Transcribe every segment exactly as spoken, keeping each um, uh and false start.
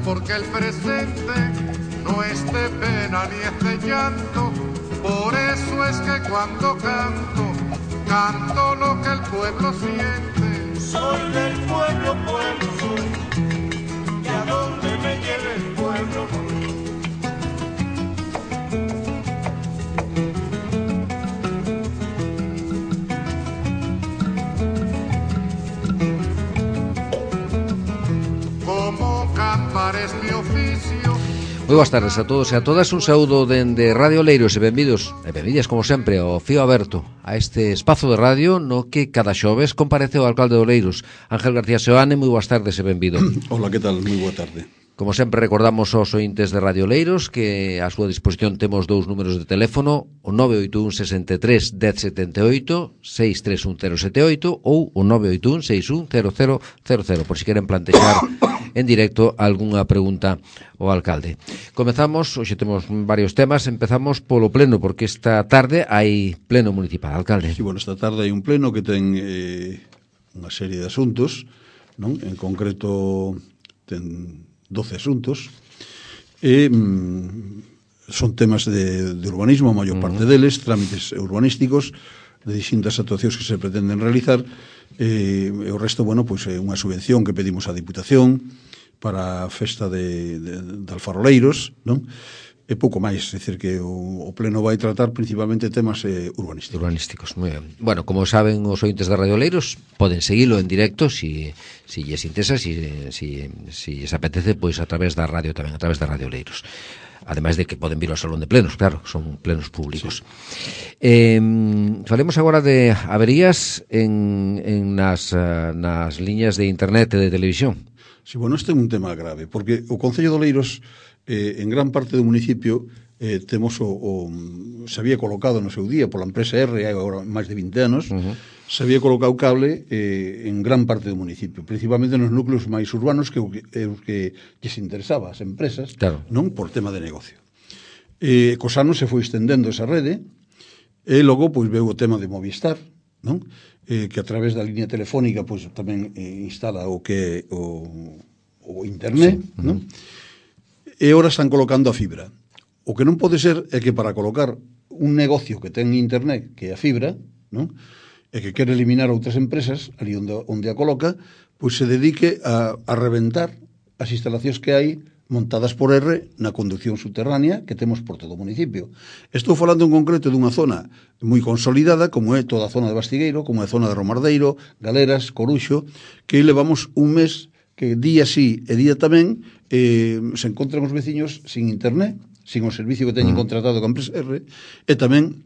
porque el presente no es de pena ni es de llanto. Por eso es que cuando canto, canto lo que el pueblo siente. Soy del pueblo, pueblo soy, y a donde me lleve el pueblo voy. Como cantar es mi oficio. Moi boas tardes a todos e a todas. Un saúdo dende Radio Oleiros e benvidos, e benvidas como sempre ao Fío Aberto, a este espazo de radio no que cada xoves comparece o alcalde de Oleiros, Ángel García Seoane. Moi boas tardes e benvido. Hola, que tal? Moi boa tarde. Como sempre recordamos aos ointes de Radio Oleiros que a súa disposición temos dous números de teléfono, o nove oito un sesenta e tres dez setenta e oito, seis tres un cero sete oito ou o nove oito un seis un cero cero cero cero, por si queren plantexar en directo algunha pregunta ao alcalde. Comezamos, hoxe temos varios temas, empezamos polo pleno, porque esta tarde hai pleno municipal, alcalde. Sí, bueno, esta tarde hai un pleno que ten eh, unha serie de asuntos, non? En concreto ten doce asuntos e mm, son temas de, de urbanismo, a maior parte deles, trámites urbanísticos de distintas actuacións que se pretenden realizar, e, e o resto, bueno, pois é unha subvención que pedimos á Diputación para a festa de, de, de Alfaroleiros, non? E pouco máis, é dicir que o, o pleno vai tratar principalmente temas eh, urbanísticos. Urbanísticos, moi ben. Bueno, como saben os ointes de Radio Oleiros, poden seguilo en directo si, si lles interesa, si, si, si lles apetece, pois a través da radio tamén, a través de Radio Oleiros. Ademais de que poden vir ao salón de plenos, claro, son plenos públicos. Sí. Eh, falemos agora de averías en, en nas, uh, nas liñas de internet e de televisión. Sí, bueno, este é un tema grave, porque o Concello de Oleiros, eh, en gran parte do municipio, eh, temos o, o, se había colocado no seu día pola empresa R, hai agora máis de vinte anos, uh-huh. se había colocado cable eh, en gran parte do municipio, principalmente nos núcleos máis urbanos que o que, que, que se interesaba as empresas, claro. Non por tema de negocio. Eh, cos anos se foi estendendo esa rede, e logo pois veu o tema de Movistar, non? Eh, que a través da línea telefónica pois tamén eh, instala o que o, o internet, sí. Non? E agora están colocando a fibra. O que non pode ser é que para colocar un negocio que ten internet, que é a fibra, non? E que quere eliminar outras empresas ali onde, onde a coloca, pois se dedique a, a reventar as instalacións que hai montadas por R na conducción subterránea que temos por todo o municipio. Estou falando en concreto dunha zona moi consolidada, como é toda a zona de Bastigueiro, como é a zona de Romardeiro, Galeras, Coruxo, que levamos un mes que día sí e día tamén eh, se encontran os veciños sin internet, sin o servicio que teñen contratado con empresa R, e tamén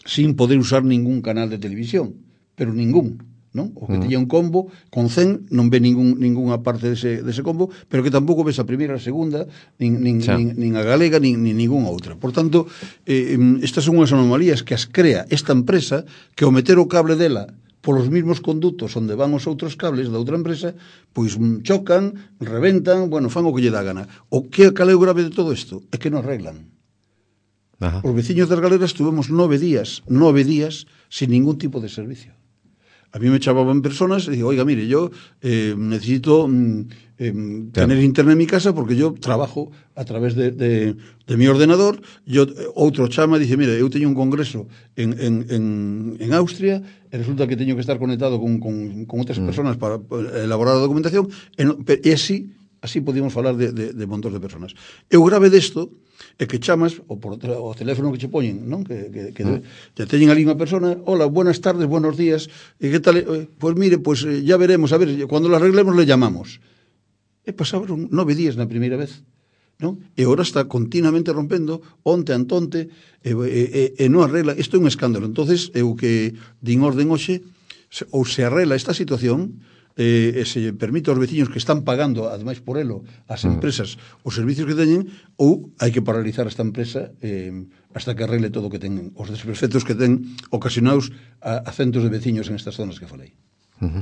sin poder usar ningún canal de televisión, pero ningún. Non? O que tiña un combo con cen non ve ningún, ningunha parte dese, dese combo, pero que tampouco ves a primeira, a segunda, nin, nin, sí. nin, nin a galega, nin, nin ninguna outra. Por tanto, eh, estas son unhas anomalías que as crea esta empresa, que ao meter o cable dela polos mismos conductos onde van os outros cables da outra empresa, pois chocan, reventan, bueno, fan o que lle dá gana. O que cal é o grave de todo isto? É que non arreglan. Ajá. Os veciños das Galeras tuvemos nove días, nove días, sin ningún tipo de servicio. A mí me chamaban personas y digo, oiga, mire, yo eh, necesito eh, claro. tener internet en mi casa porque yo trabajo a través de, de, de mi ordenador. Yo outro chama e dice, mire, eu teño un congreso en, en, en, en Austria e resulta que teño que estar conectado con, con, con outras mm. personas para, para elaborar a documentación e, no, e así, así podíamos falar de, de, de montón de personas. E o grave desto é que chamas o por o teléfono que che poñen, non? Que, que, que mm. te teñen ali unha persona, hola, buenas tardes, buenos días, e que tal? Pois pues mire, pois pues, ya veremos, a ver, cuando lo arreglemos le llamamos. E pasaron nove días na primeira vez, non? E agora está continuamente rompendo, onte antonte, e, e, e non arregla. Isto é un escándalo. Entonces, eu que din orden hoxe, ou se arregla esta situación, eh, e se permite aos veciños que están pagando, ademais por elo, as empresas, os servicios que teñen, ou hai que paralizar esta empresa eh, hasta que arregle todo o que ten, os desperfectos que ten ocasionados a, a centos de veciños en estas zonas que falei. Uh-huh.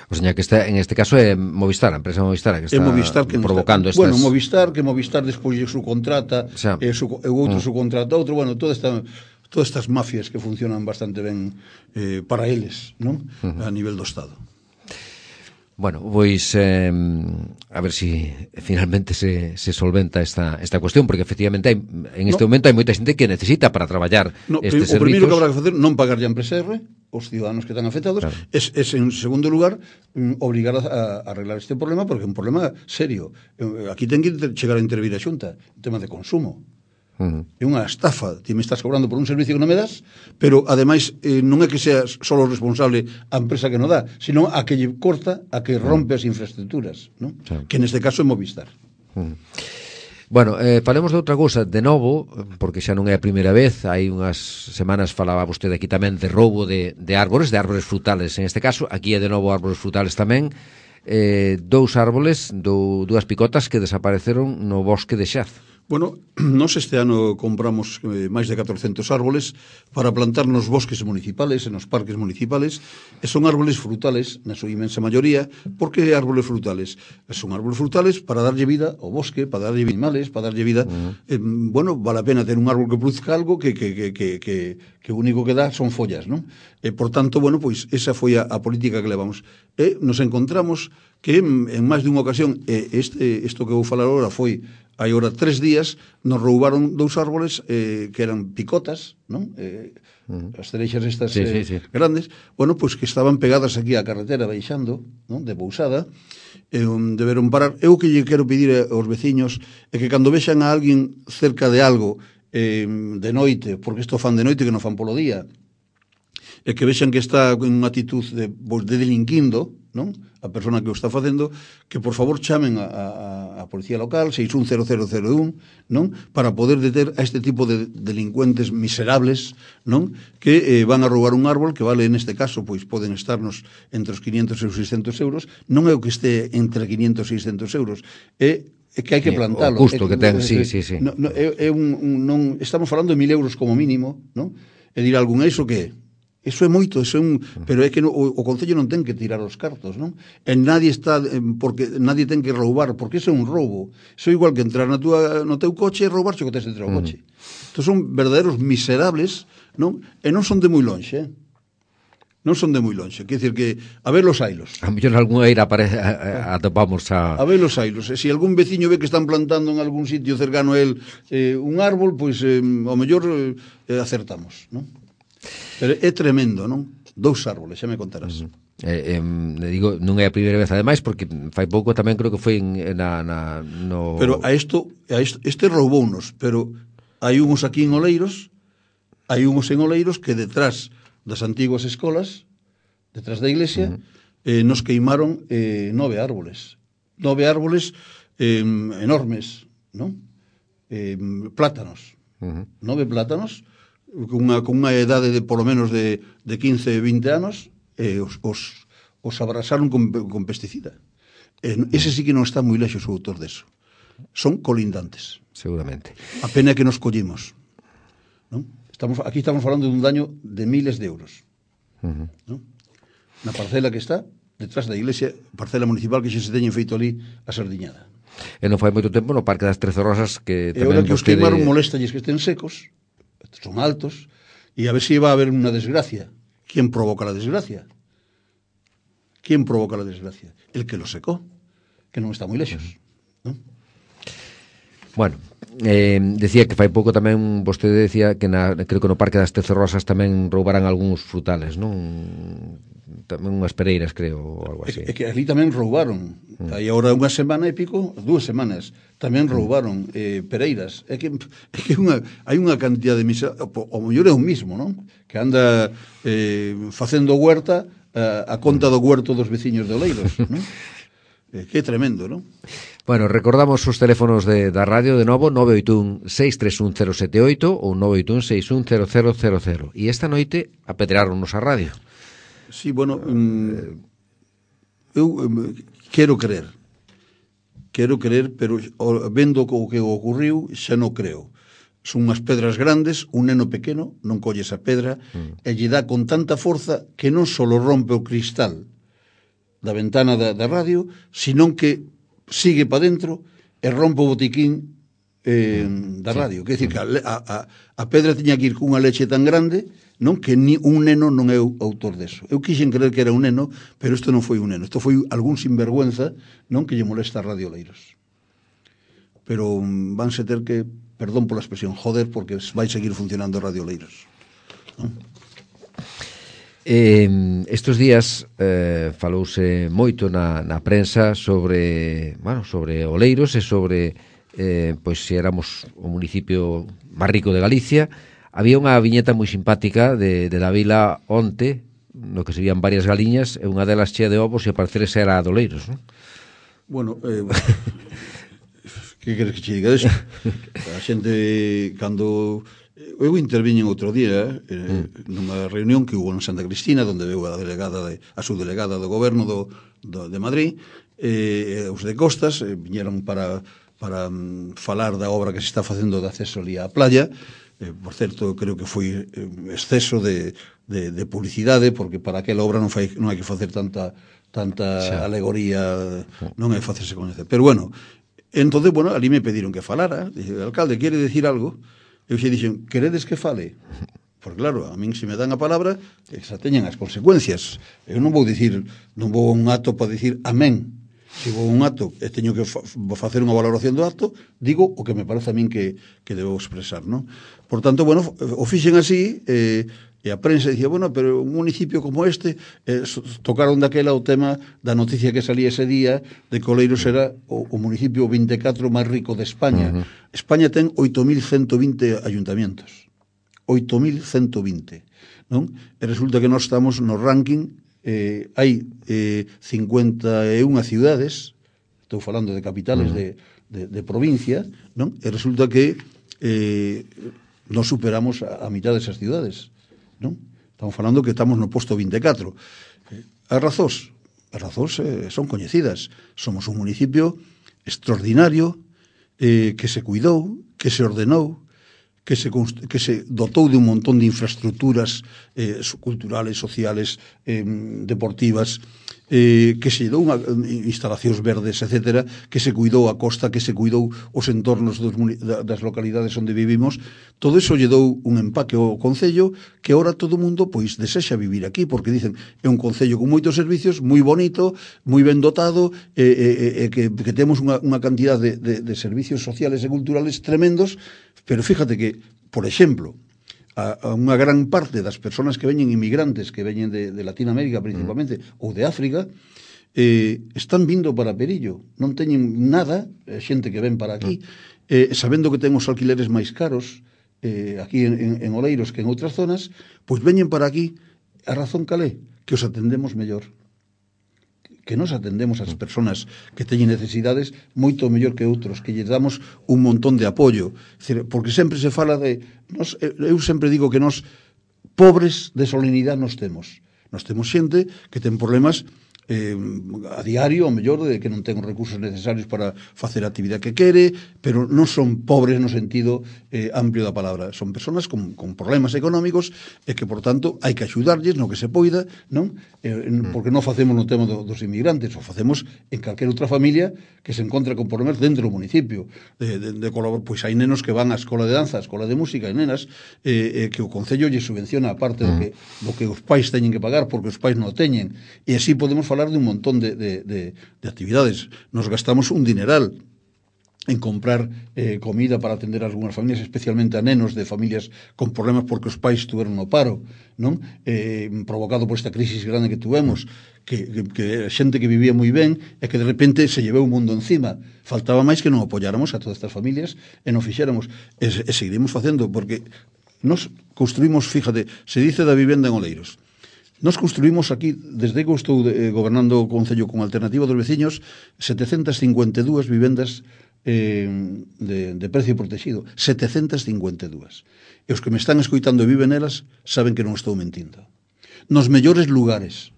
O sea, que está, en este caso é Movistar, a empresa Movistar que está Movistar que provocando está, estas... Bueno, Movistar, que Movistar despois su contrata, o sea, e, su, e outro uh-huh. su contrata outro, bueno, toda esta... todas estas mafias que funcionan bastante ben eh, para eles, non? Uh-huh. A nivel do Estado. Bueno, pois eh, a ver si finalmente se, se solventa esta, esta cuestión, porque efectivamente hai, en este no. momento hai moita xente que necesita para traballar no, estes o servizos. O primeiro que habrá que facer non pagar ya en P S R os ciudadanos que están afectados, claro. es, es en segundo lugar mm, obrigar a, a arreglar este problema, porque é un problema serio. Aquí ten que chegar a intervir a Xunta, un tema de consumo. Uh-huh. É unha estafa, ti me estás cobrando por un servicio que non me das, pero ademais eh, non é que sea solo responsable a empresa que non dá, sino a que lle corta, a que rompe uh-huh. as infraestructuras, ¿no? Sí. Que neste caso é Movistar. Uh-huh. Bueno, eh, falemos de outra cousa de novo, porque xa non é a primeira vez. Hai unhas semanas falaba vostede aquí tamén de roubo de, de árbores, de árbores frutales en este caso. Aquí é de novo árbores frutales tamén. eh, Dous árboles, dou, dúas picotas que desapareceron no bosque de Xaz. Bueno, nos este ano compramos eh, máis de catorcentos árboles para plantar nos bosques municipales, en os parques municipales, e son árboles frutales, na súa inmensa maioría. Por que árboles frutales? Son árboles frutales para darlle vida ao bosque, para darlle vida animales, para darlle vida... Uh-huh. eh, bueno, vale a pena ter un árbol que produzca algo que, que, que, que, que, que o único que dá son follas, non? E, por tanto, bueno, pois esa foi a, a política que levamos. E nos encontramos que en, en máis de unha ocasión, e este, isto que vou falar agora foi... Hai ora tres días nos roubaron dous árboles eh, que eran picotas, non? Eh, uh-huh. As cereixas estas sí, eh, sí, sí. grandes, bueno, pois pues que estaban pegadas aquí á carretera baixando, non? De Bousada, e um, deberon parar. Eu que lle quero pedir aos veciños é que cando vexan a alguén cerca de algo eh, de noite, porque isto fan de noite que non fan polo día, e que vexan que está en unha actitud de, de delinquindo, non? A persona que o está facendo, que por favor chamen a, a, a policía local seis un cero cero cero un, non? Para poder deter a este tipo de delincuentes miserables, non? Que eh, van a roubar un árbol que vale, neste caso, pois poden estarnos entre os quinientos e os seiscentos euros. Non é o que este entre quinientos e seiscentos euros, é é que hai que plantalo. O custo é, que ten, sí, sí, sí. No, no, é, é un, un, non, estamos falando de mil euros como mínimo, non? E dirá algún, iso que é? Eso é moito, eso é un, pero é que no, o, o Concello non ten que tirar os cartos, non? E nadie está, porque nadie ten que roubar, porque iso é un roubo. Iso é igual que entrar na tua, no teu coche e roubarche o que tes dentro do coche. Mm. Entón son verdadeiros miserables, non? E non son de moi lonxe, eh? Non son de moi lonxe, quer dizer que a ver los ailos. A mellor algunha eira apare, a, a, atopamos a... A ver los ailos. E se algún veciño ve que están plantando en algún sitio cercano a él eh, un árbol, pois eh, ao mellor eh, acertamos, non? Pero é tremendo, non? Dous árboles, xa me contarás. Uh-huh. Eh, eh, digo, non é a primeira vez ademais, porque fai pouco tamén creo que foi en, na, na, no... Pero a isto, a isto este roubounos, pero hai unhos aquí en Oleiros, hai unhos en Oleiros que detrás das antiguas escolas, detrás da iglesia, uh-huh. eh, nos queimaron eh, nove árboles. Nove árboles eh, enormes, non? Eh, plátanos. Uh-huh. Nove plátanos con unha, con unha edade de polo menos de, de quince, vinte anos, eh, os, os, os abrasaron con, con pesticida. Eh, ese sí que non está moi lexos o autor deso. Son colindantes. Seguramente. A pena que nos collimos, non? Estamos, aquí estamos falando dun daño de miles de euros. Uh-huh. Non? Na parcela que está detrás da iglesia, parcela municipal que xa se teñen feito ali a sardiñada. E non fai moito tempo no Parque das Trece Rosas que e tamén que os vostede... queimaron molestalles que estén secos, son altos, e a ver se iba a haber unha desgracia. ¿Quién provoca la desgracia? ¿Quién provoca la desgracia? El que lo secó, que non está moi lexos, non? Bueno, eh, decía que fai pouco tamén vostede decía que na, creo que no Parque das Trece Rosas tamén roubaran algúns frutales, non? Tamén unhas pereiras, creo, ou algo así. É que ali tamén roubaron. Mm. Aí agora unha semana e pico, dúas semanas, tamén roubaron eh, pereiras. É que, é que unha, hai unha cantidad de misa, o, o mellor é un mismo, non? Que anda eh, facendo huerta a, a conta do huerto dos veciños de Oleiros, non? Eh, que tremendo, non? Bueno, recordamos os teléfonos de, da radio de novo, nove oito un seis tres un cero sete oito ou nove oito un seis un cero cero cero cero. E esta noite apedreáronnos a radio. Sí, bueno, um, eu um, quero creer, quero creer, pero vendo o que ocurriu, xa non creo. Son unhas pedras grandes, un neno pequeno non colle esa pedra mm. e lle dá con tanta forza que non só rompe o cristal da ventana da, da radio, senón que sigue para dentro e rompe o botiquín eh, da radio. Quer dicir que a, a, a pedra tiña que ir cunha leche tan grande, non, que ni un neno non é o autor deso. Eu quixen creer que era un neno, pero isto non foi un neno. Isto foi algún sinvergüenza, non, que lle molesta a Radio Oleiros. Pero um, vanse ter que, perdón pola expresión, joder, porque vai seguir funcionando Radio Oleiros. Non? Eh, estes días eh, falouse moito na, na prensa sobre, bueno, sobre Oleiros e sobre eh, pois se éramos o municipio máis rico de Galicia. Había unha viñeta moi simpática de, de la vila onte, no que se vían varias galiñas e unha delas chea de ovos e a parecer esa era a de Oleiros, non? Bueno, eh, que queres que che diga deso? A xente, cando eu interviñen outro día eh, nunha reunión que hubo en Santa Cristina, onde veu a delegada de, a subdelegada do goberno do, do, de Madrid, eh, os de Costas eh, viñeron para, para um, falar da obra que se está facendo de acceso ali á playa. Eh, por certo, creo que foi eh, exceso de, de, de publicidade, porque para aquela obra non, fai, non hai que facer tanta tanta xa. alegoría, non é facerse coñecer. Pero bueno, entonces, bueno, ali me pediron que falara. Dixe, alcalde, quere decir algo? Eu xe dixen, queredes que fale? Porque claro, a min se me dan a palabra, xa teñen as consecuencias. Eu non vou dicir, non vou a un acto para dicir amén. Se vou a un acto e teño que fa facer unha valoración do acto, digo o que me parece a min que, que debo expresar, non? Por tanto, bueno, o fixen así, eh, e a prensa dicía, bueno, pero un municipio como este, eh, tocaron daquela o tema da noticia que salía ese día de que Oleiros era o, o municipio vinte e catro máis rico de España. Uh -huh. España ten oito mil ciento vinte ayuntamientos. oito mil ciento vinte, non? E resulta que nós estamos no ranking, eh, hai eh, cincuenta e unha ciudades, estou falando de capitales uh -huh. de, de, de provincia, non? E resulta que eh, nos superamos a, a mitad desas ciudades. Non? Estamos falando que estamos no posto vinte e catro. As razóns, as razóns eh, son coñecidas. Somos un municipio extraordinario, eh, que se cuidou, que se ordenou, que se, que se dotou de un montón de infraestructuras eh, culturales, sociales, eh, deportivas, eh, que se dou unha, instalacións verdes, etcétera, que se cuidou a costa, que se cuidou os entornos dos, das localidades onde vivimos. Todo iso lle dou un empaque ao Concello que ahora todo o mundo pois desexa vivir aquí, porque dicen é un Concello con moitos servicios, moi bonito, moi ben dotado, e eh, eh, eh, que, que temos unha, unha cantidad de, de, de servicios sociales e culturales tremendos, pero fíjate que, por exemplo, a, a unha gran parte das persoas que veñen inmigrantes, que veñen de, de Latinoamérica principalmente, mm. ou de África, eh, están vindo para Perillo, non teñen nada, eh, xente que ven para aquí, eh, sabendo que ten os alquileres máis caros eh, aquí en, en, en Oleiros que en outras zonas, pois veñen para aquí. A razón cal é? Que os atendemos mellor, que nos atendemos ás persoas que teñen necesidades moito mellor que outros, que lles damos un montón de apoio. Porque sempre se fala de... Nos, eu sempre digo que nos pobres de solenidade nos temos. Nos temos xente que ten problemas eh, a diario, o mellor, de que non ten os recursos necesarios para facer a actividade que quere, pero non son pobres no sentido eh, amplio da palabra. Son persoas con, con problemas económicos e que, por tanto, hai que axudarlles no que se poida, non? Eh, porque non facemos no tema do, dos inmigrantes, o facemos en calquera outra familia que se encontra con problemas dentro do municipio. De, de, de pois hai nenos que van á escola de danza, á escola de música, e nenas eh, eh, que o Concello lle subvenciona a parte do que, do que os pais teñen que pagar porque os pais non o teñen. E así podemos falar de un montón de, de, de, de actividades. Nos gastamos un dineral en comprar eh, comida para atender a algunhas familias, especialmente a nenos de familias con problemas porque os pais tuveron no paro, non? Eh, provocado por esta crisis grande que tuvemos, que, que, que xente que vivía moi ben e que de repente se llevou o mundo encima. Faltaba máis que non apoyáramos a todas estas familias e non fixéramos. E, e seguiremos facendo, porque nos construímos, fíjate, se dice da vivenda en Oleiros. Nos construímos aquí, desde que estou eh, gobernando o Concello con Alternativa dos Veciños, setecentas cincuenta e dúas vivendas eh, de, de precio protegido. setecentas cincuenta e dúas. E os que me están escoitando e viven elas saben que non estou mentindo. Nos mellores lugares,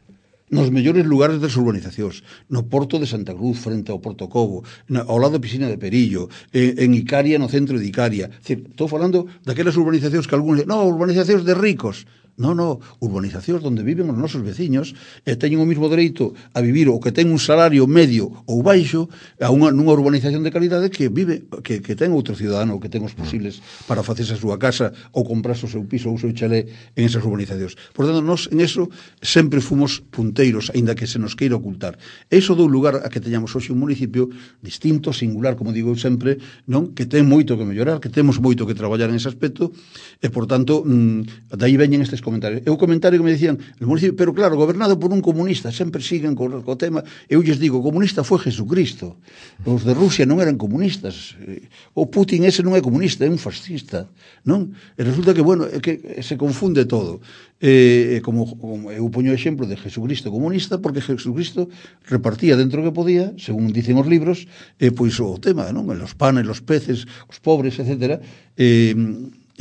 nos mellores lugares das urbanizacións, no Porto de Santa Cruz, frente ao Porto Cobo, na, ao lado da piscina de Perillo, en, en Icaria, no centro de Icaria. Decir, estou falando daquelas urbanizacións que algúns... No, urbanizacións de ricos. Non, non, urbanizacións onde viven os nosos veciños e teñen o mismo dereito a vivir o que ten un salario medio ou baixo a unha, nunha urbanización de calidade que vive, que, que ten outro ciudadano, que ten os posibles para facerse a súa casa ou comprarse o seu piso ou o seu chalé en esas urbanizacións. Por tanto, nós en eso sempre fomos punteiros, aínda que se nos queira ocultar. E iso dou lugar a que teñamos hoxe un municipio distinto, singular, como digo sempre, non, que ten moito que mellorar, que temos moito que traballar en ese aspecto e, por tanto, mmm, dai veñen estes comentarios. E o comentario que me dicían, el municipio, pero claro, gobernado por un comunista, sempre siguen co, co tema, eu lles digo, o comunista foi Jesucristo, os de Rusia non eran comunistas, o Putin ese non é comunista, é un fascista, non? E resulta que, bueno, é que se confunde todo. E, como, como eu poño o exemplo de Jesucristo comunista, porque Jesucristo repartía dentro que podía, según dicen os libros, e pois o tema, non? Los panes, los peces, os pobres, etcétera, e...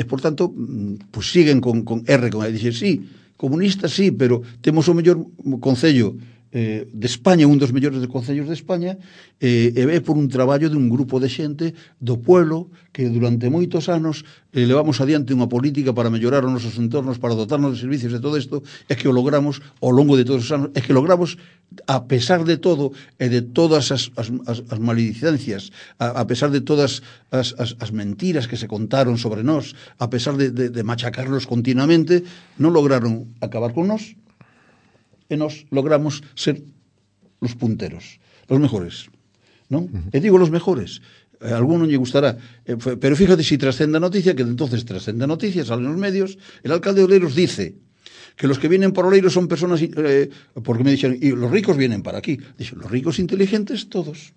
E, por tanto, pues siguen con, con R, con E. Dixen, sí, comunista, sí, pero temos o mellor concello eh, de España, un dos mellores de concellos de España, eh, e é por un traballo de un grupo de xente do pueblo que durante moitos anos eh, levamos adiante unha política para mellorar os nosos entornos, para dotarnos de servicios de todo isto, é que o logramos ao longo de todos os anos, é que logramos a pesar de todo e de todas as, as, as, as maledicencias, a, a pesar de todas as, as, as mentiras que se contaron sobre nós, a pesar de, de, de machacarlos continuamente, non lograron acabar con nós e nós logramos ser los punteros, los mejores, non? Uh-huh. E digo los mejores, a alguno lle gustará, eh, pero fíjate si trascende a noticia, que entonces trascende a noticia, salen los medios, el alcalde de Oleiros dice que los que vienen por Oleiros son personas, eh, porque me dijeron, y los ricos vienen para aquí. Dicen, los ricos inteligentes, todos.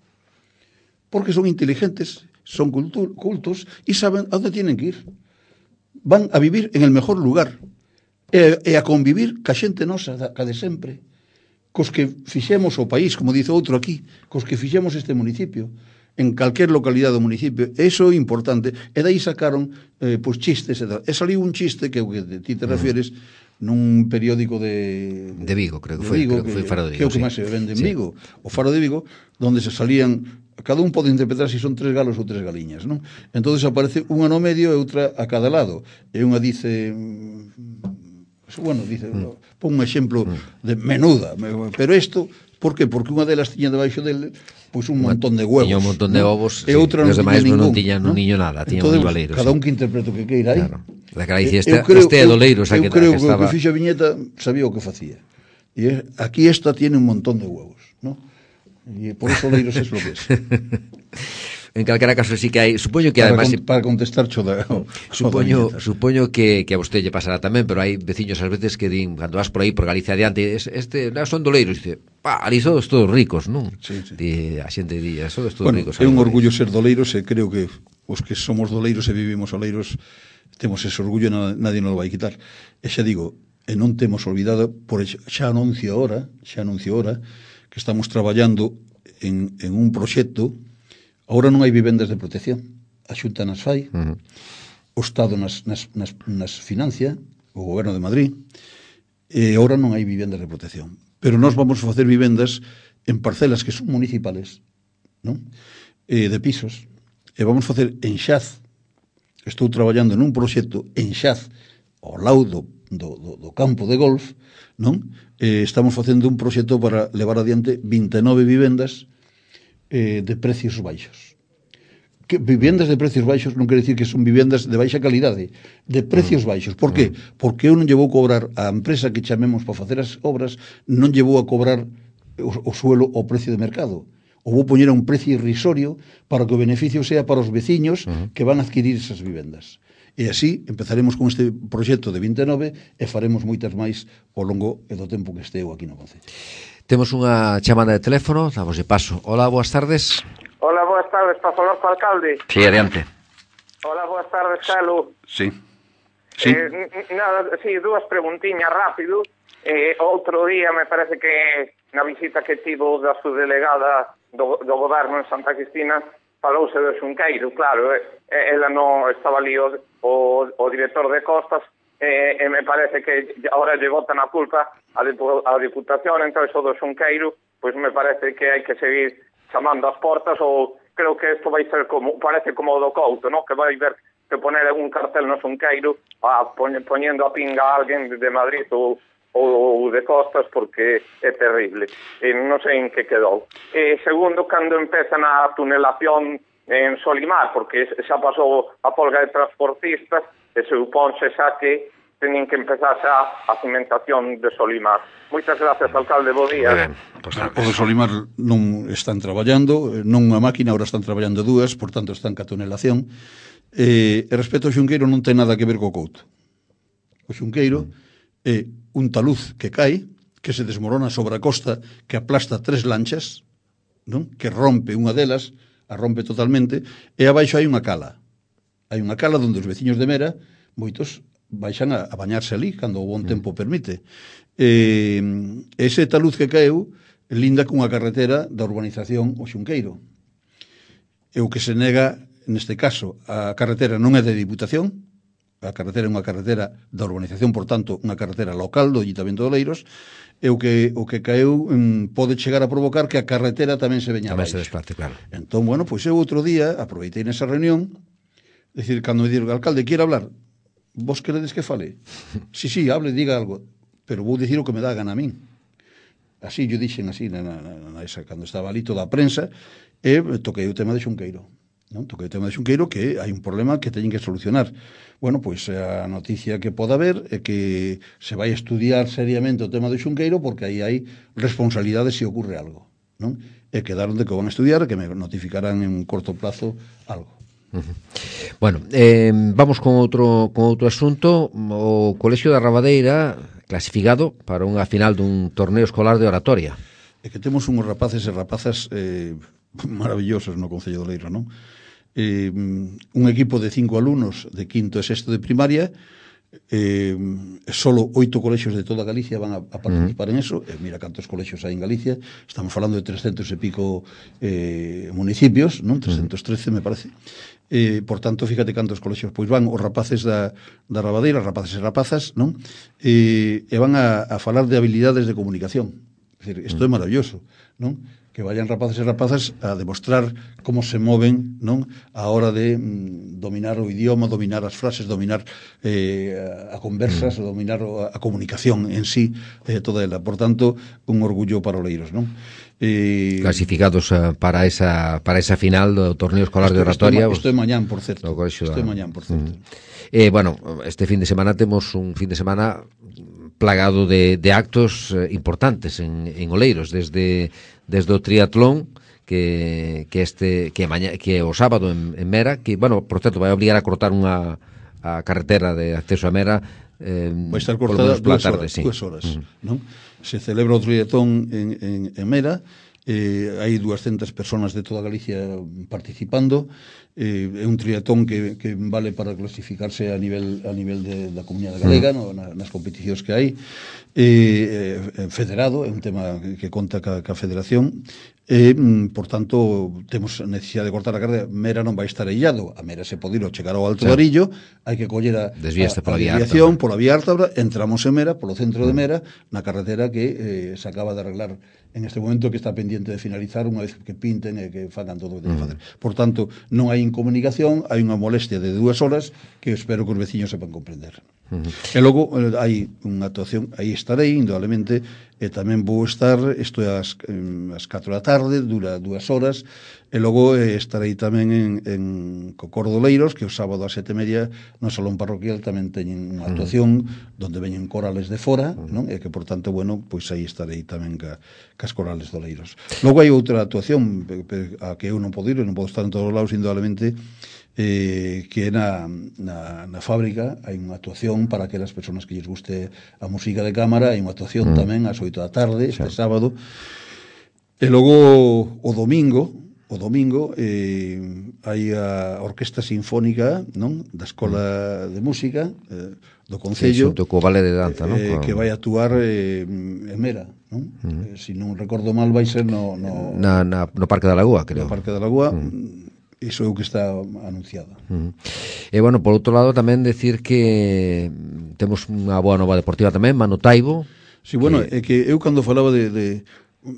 Porque son inteligentes, son cultu- cultos y saben a dónde tienen que ir. Van a vivir en el mejor lugar e, e a convivir ca xente nosa, ca de sempre, cos que fixemos o país, como dice outro aquí, cos que fixemos este municipio, en calquer localidade do municipio. Eso é importante. E dai sacaron eh, pues, chistes e tal. E saliu un chiste que, que ti te refieres nun periódico de... De Vigo, creo que de foi, Vigo, creo que foi Faro de Vigo, que é o que sí. máis se vende en Sí. Vigo, o Faro de Vigo, donde se salían, cada un pode interpretar se si son tres galos ou tres galiñas, non? Entonces aparece unha no medio e outra a cada lado, e unha dice, bueno, dice, mm. pon un exemplo mm. de menuda, pero isto, por que? Porque unha delas tiña debaixo del pois un montón de huevos. Tiña un montón de ovos, e outra sí. non demais tiña non ningún, tiñan non niño nada, tiñan entonces, moi valeiros. Cada sí. un que interprete o que queira aí. Claro. La cara dice, eu este, creo, este é doleiro, o sea, eu que, creo que que estaba... o que fixo a viñeta sabía o que facía. E aquí esta tiene un montón de huevos, ¿no? E por eso Oleiros es lo que es. En calquera caso sí que hai, supoño que para, además con, para contestar choda, o, supoño, supoño que, que a vostede lle pasará tamén, pero hai veciños ás veces que din, cando vas por aí por Galicia adiante, es, este, non, son doleiros, dice, pa, ali sodes todos ricos, non? Sí, sí. Di, a xente di, sodes todos bueno, ricos. É un orgullo ser doleiros e creo que os que somos doleiros e vivimos oleiros temos ese orgullo e nadie nos lo vai quitar. E xa digo, e non temos olvidado, por xa anuncio ahora, xa anuncio ahora, que estamos traballando en, en un proxecto. Ahora non hai vivendas de protección, a Xunta nas fai, uh-huh. o Estado nas, nas, nas, nas financia, o Goberno de Madrid, e ahora non hai vivendas de protección. Pero nós vamos a facer vivendas en parcelas que son municipales, non? E de pisos, e vamos a facer en Xaz. Estou traballando en un proxecto en Xaz, ao lado do, do, do, do campo de golf, non? E estamos facendo un proxecto para levar adiante vinte e nove vivendas eh, de precios baixos. Que vivendas de precios baixos non quere dicir que son vivendas de baixa calidade, de precios baixos. Por que? Porque eu non lle vou cobrar a empresa que chamemos para facer as obras, non lle vou a cobrar o, o suelo ao precio de mercado. O vou poñer a un precio irrisorio para que o beneficio sea para os veciños uh-huh. que van a adquirir esas vivendas. E así empezaremos con este proxecto de vinte e nove e faremos moitas máis ao longo do tempo que esteu aquí no concello. Temos unha chamada de teléfono, damos de paso. Hola, boas tardes. Hola, boas tardes, para falar co alcalde. Sí, adiante. Hola, boas tardes, Calo. Sí. Sí. Eh, nada, sí, dúas preguntiñas rápido. Eh, outro día, me parece que na visita que tivo da subdelegada do, do goberno en Santa Cristina, falouse do Xunqueiro, claro, eh, ela non estaba ali o, o, o director de Costas, eh, e me parece que agora lle botan a culpa a, a Diputación, entón iso do Xunqueiro, pois me parece que hai que seguir chamando as portas, ou creo que isto vai ser como, parece como o do Couto, ¿no? Que vai ver que poner un cartel no Xunqueiro a, poñendo a pinga a alguén de Madrid ou, ou de Costas, porque é terrible. E non sei en que quedou. E segundo, cando empezan a tunelación en Solimar, porque xa pasou a folga de transportistas, e se suponse xa que teñen que empezar xa a cimentación de Solimar. Moitas gracias, alcalde, bo día. Pues, o de Solimar non están traballando, non unha máquina, agora están traballando dúas, por tanto están ca tunelación. E, e respecto ao Xunqueiro non ten nada que ver co Couto. O Xunqueiro é un taluz que cae, que se desmorona sobre a costa, que aplasta tres lanchas, non? Que rompe unha delas, a rompe totalmente, e abaixo hai unha cala. Hai unha cala onde os veciños de Mera, moitos, baixan a, a bañarse ali, cando o bon tempo permite. E, ese taluz que caeu linda cunha carretera da urbanización o Xunqueiro. E o que se nega, neste caso, a carretera non é de Diputación, a carretera é unha carretera da urbanización, por tanto, unha carretera local do Ayuntamiento de Oleiros, e o que, o que caeu um, pode chegar a provocar que a carretera tamén se veña tamén abaixo. se desplace, claro. Entón, bueno, pois eu outro día aproveitei nesa reunión, decir, cando me dixo, alcalde, quere hablar? Vos queredes que fale? Sí, sí, hable, diga algo, pero vou dicir o que me dá a gana a min. Así, yo dixen así, na, na, na esa, cando estaba ali toda a prensa, e toquei o tema de Xunqueiro. Non? Toquei o tema de Xunqueiro, que hai un problema que teñen que solucionar. Bueno, pois a noticia que poda haber é que se vai estudiar seriamente o tema de Xunqueiro, porque aí hai responsabilidade se ocurre algo, non? E quedaron de que o van a estudiar, que me notificarán en un corto plazo algo. Uh-huh. Bueno, eh, vamos con outro con outro asunto. O Colexio da Rabadeira clasificado para unha final dun torneo escolar de oratoria. É que temos uns rapaces e rapazas eh, maravillosos no Concello de Oleiros, non? Eh, un equipo de cinco alumnos de quinto e sexto de primaria, eh, solo oito colexios de toda Galicia van a, a participar uh-huh. en eso. Eh, mira cantos colexios hai en Galicia, estamos falando de trescentos e pico eh, municipios, non? trescentos trece me parece. Eh, por tanto, fíjate cantos colexios pois van os rapaces da, da Rabadeira, rapaces e rapazas, non? Eh, e van a, a falar de habilidades de comunicación. É dicir, isto uh-huh. é maravilloso, non? Que vayan rapaces e rapazas a demostrar como se moven, non? A hora de mm, dominar o idioma, dominar as frases, dominar eh, a conversas, mm. dominar a, a comunicación en sí, eh, toda ela. Por tanto, un orgullo para Oleiros, non? Eh, Clasificados uh, para esa para esa final do torneo escolar esto, de oratoria. Isto é mañán, por certo. Isto é mañán, por certo. Mm. Eh, bueno, este fin de semana temos un fin de semana plagado de, de actos eh, importantes en, en Oleiros, desde desde o triatlón que que este que maña, que o sábado en, en Mera, que bueno, por certo vai obligar a cortar unha a carretera de acceso a Mera, eh, vai estar cortada dúas tarde, horas, sí. dúas horas, uh-huh. non? Se celebra o triatlón en, en, en Mera. Eh, hai dúascentas persoas de toda Galicia participando. Eh, é un triatlón que, que vale para clasificarse a nivel a nivel de, da comunidade galega, no, na, nas competicións que hai. Eh, eh, federado, é un tema que, que conta ca, ca federación. E, mm, por tanto, temos necesidade de cortar a carretera. Mera non vai estar illado. A Mera se pode ir chegar ao Alto sí. Varillo, hai que coller a, a, a desviación pola vía Ártabra, entramos en Mera, polo centro de Mera, na carretera que eh, se acaba de arreglar en este momento, que está pendiente de finalizar unha vez que pinten e que fagan todo o que ten que facer. Por tanto, non hai incomunicación, hai unha molestia de dúas horas que espero que os veciños sepan comprender. Uh-huh. E logo eh, hai unha actuación, aí estarei, indudablemente, e tamén vou estar, isto é as, as catro da tarde, dura dúas horas, e logo eh, estarei tamén en, en Cocor de Oleiros, que o sábado a sete e media no Salón Parroquial tamén teñen unha actuación uh-huh. donde veñen corales de fora, uh-huh. non? E que, por tanto, bueno, pois aí estarei tamén ca, cas corales de Oleiros. Logo hai outra actuación a que eu non podo ir, non podo estar en todos os lados, indudablemente, eh, que é na, na, na fábrica. Hai unha actuación para aquelas persoas que lles guste a música de cámara, hai unha actuación mm. tamén ás oito da tarde, este sí. sábado. E logo o domingo, o domingo eh, hai a Orquesta Sinfónica, non? Da Escola mm. de Música eh, do Concello, sí, co Vale de Danza, non? Eh, que vai actuar eh, en Mera, non? Mm. Eh, se non recordo mal, vai ser no, no, na, na, no Parque da Lagoa, creo. No Parque da Lagoa. Mm. Iso é o que está anunciado. Uh-huh. E, bueno, por outro lado, tamén decir que temos unha boa nova deportiva tamén, Manu Taibo. Sí, bueno, que... é que eu cando falaba de... de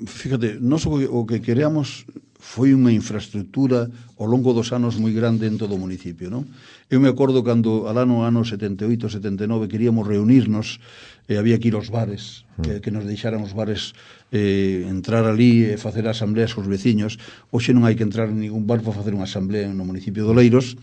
fíjate, nós o que, o que queríamos, foi unha infraestructura ao longo dos anos moi grande en todo o municipio, non? Eu me acordo cando al ano ano setenta e oito, setenta e nove queríamos reunirnos, e había que ir aos bares, que, que nos deixaran os bares eh, entrar ali e facer asambleas cos veciños. Hoxe non hai que entrar en ningún bar para facer unha asamblea no municipio de Oleiros.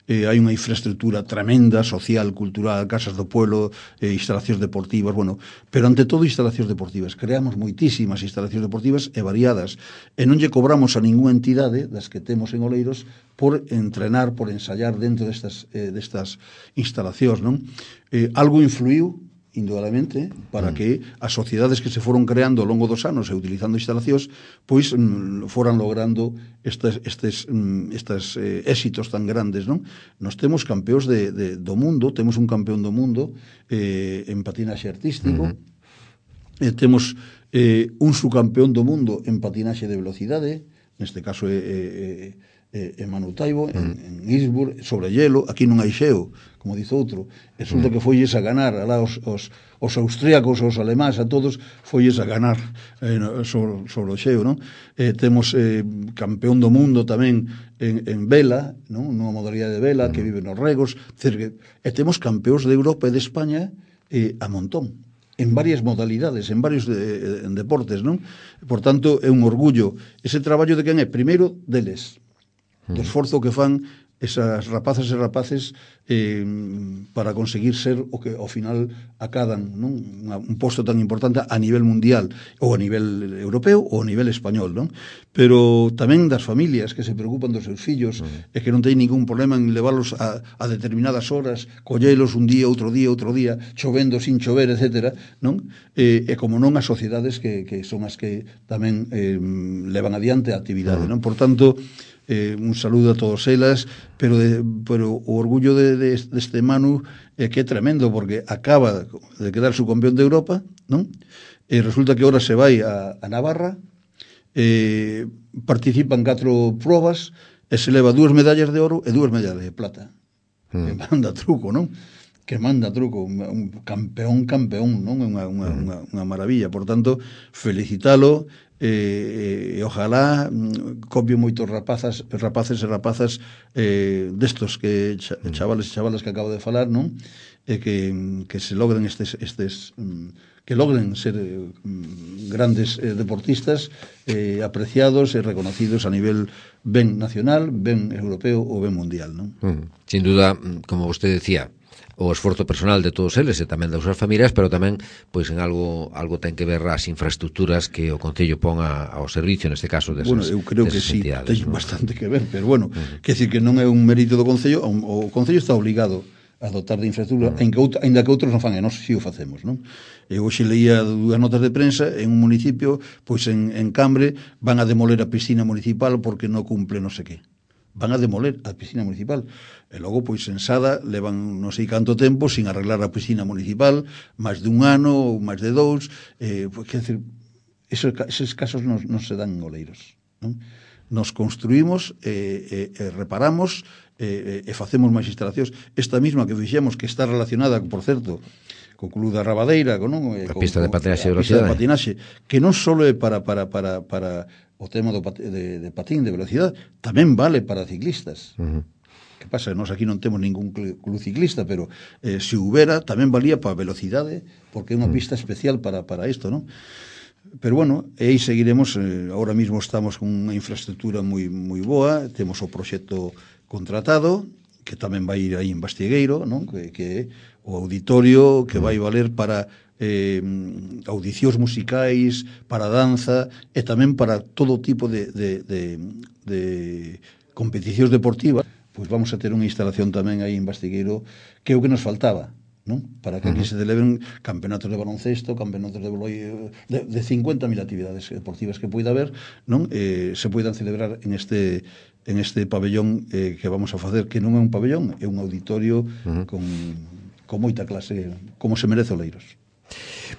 Eh, hai unha infraestructura tremenda, social, cultural, casas do pueblo, eh, instalacións deportivas, bueno, pero ante todo instalacións deportivas. Creamos moitísimas instalacións deportivas e variadas, e non lle cobramos a ninguna entidade das que temos en Oleiros por entrenar, por ensayar dentro destas, eh, destas instalacións, non? Eh, algo influiu indudablemente, para que as sociedades que se foron creando ao longo dos anos e utilizando instalacións, pois mm, foran logrando estes, estes, mm, estes eh, éxitos tan grandes, non? Nos temos campeóns de, de, do mundo, temos un campeón do mundo eh, en patinaxe artístico, uh-huh. eh, temos eh, un subcampeón do mundo en patinaxe de velocidade, neste caso é eh, eh, en Manu Taibo, en, uh-huh. en Innsbruck, sobre hielo. Aquí non hai xeo, como dice outro. Resulta uh-huh. que folles a ganar alá os, os, os austríacos, os alemáns, a todos folles a ganar eh, sobre, sobre o xeo, non? Eh, temos eh, campeón do mundo tamén en, en vela, non? Nunha modalidade de vela, uh-huh. que vive nos regos, que, e temos campeóns de Europa e de España eh, a montón, en varias modalidades, en varios de, en deportes, non? Por tanto, é un orgullo. Ese traballo de quen é? Primeiro, deles, do esforzo que fan esas rapazas e rapaces eh, para conseguir ser o que ao final acadan, non? Un posto tan importante a nivel mundial, ou a nivel europeo ou a nivel español, non? Pero tamén das familias que se preocupan dos seus fillos uh-huh. e que non teñen ningún problema en levarlos a, a determinadas horas, collelos un día, outro día, outro día, chovendo, sin chover, etcétera, non? E, e como non as sociedades que, que son as que tamén eh, levan adiante a actividade, uh-huh. non? Por tanto, Eh, un saludo a todos elas, pero, de, pero o orgullo de, de, de este Manu é eh, que é tremendo, porque acaba de quedar subcampeón de Europa, non? E resulta que ahora se vai a, a Navarra, eh, participan catro probas e se leva dúas medallas de oro e dúas medallas de plata. Mm. Que manda truco, non? Que manda truco, un, un campeón, campeón, non? Unha, unha, mm. unha, unha maravilla. Por tanto, felicitalo, e eh, ojalá mm, copio moitos rapazas, rapaces e rapazas eh, destos que chavales e chavalas que acabo de falar, non? E que, que se logren estes, estes mm, que logren ser mm, grandes eh, deportistas eh, apreciados e reconocidos a nivel ben nacional, ben europeo ou ben mundial, non? Mm. Sin duda, como vostede decía, o esforzo personal de todos eles e tamén das súas familias, pero tamén pois en algo algo ten que ver as infraestructuras que o Concello pon a, ao servicio, neste caso, desas, bueno, eu creo que sí, ten ¿no? bastante que ver, pero bueno, uh-huh. que decir que non é un mérito do Concello, o Concello está obligado a dotar de infraestructura, uh-huh. en que out, ainda que outros non fan, e nós si o facemos, non? Eu hoxe leía dúas notas de prensa en un municipio, pois en, en Cambre van a demoler a piscina municipal porque non cumple non sei que. Van a demoler a piscina municipal. E logo, pois, en Sada, levan non sei canto tempo sin arreglar a piscina municipal, máis de un ano ou máis de dous. Eh, pois, quer dizer, esos, esos casos non, non se dan en Oleiros, non? Nos construímos, eh, eh, reparamos eh, e facemos máis instalacións. Esta mesma que fixemos, que está relacionada, por certo, co Club da Rabadeira, non? A pista de patinaxe de velocidade, de patinaxe, que non só é para, para, para, para o tema do pat de, de patín de velocidade, tamén vale para ciclistas. Uh-huh. Que pasa? Nós aquí non temos ningún club ciclista, pero eh, se houbera, tamén valía para velocidade, porque é unha uh-huh. pista especial para, para isto, non? Pero bueno, e aí seguiremos, eh, ahora mismo estamos con unha infraestructura moi, moi boa, temos o proxecto contratado, que tamén vai ir aí en Bastiegueiro, non? Que, que é o auditorio que vai valer para eh, audicións musicais, para danza e tamén para todo tipo de, de, de, de competicións deportivas. Pois vamos a ter unha instalación tamén aí en Bastiegueiro, que é o que nos faltaba, non? Para que aquí se celebren campeonatos de baloncesto, campeonatos de volei, de, de cincuenta mil actividades deportivas que poida haber, non? Eh, se poidan celebrar en este en este pabellón eh, que vamos a facer, que non é un pabellón, é un auditorio uh-huh. con, con moita clase, como se merece Oleiros.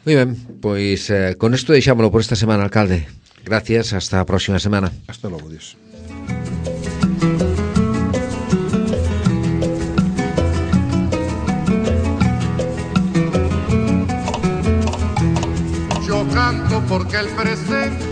Moi ben, pois eh, con isto deixámoslo por esta semana, alcalde. Gracias, hasta a próxima semana. Hasta logo, Dios. Yo canto porque el presente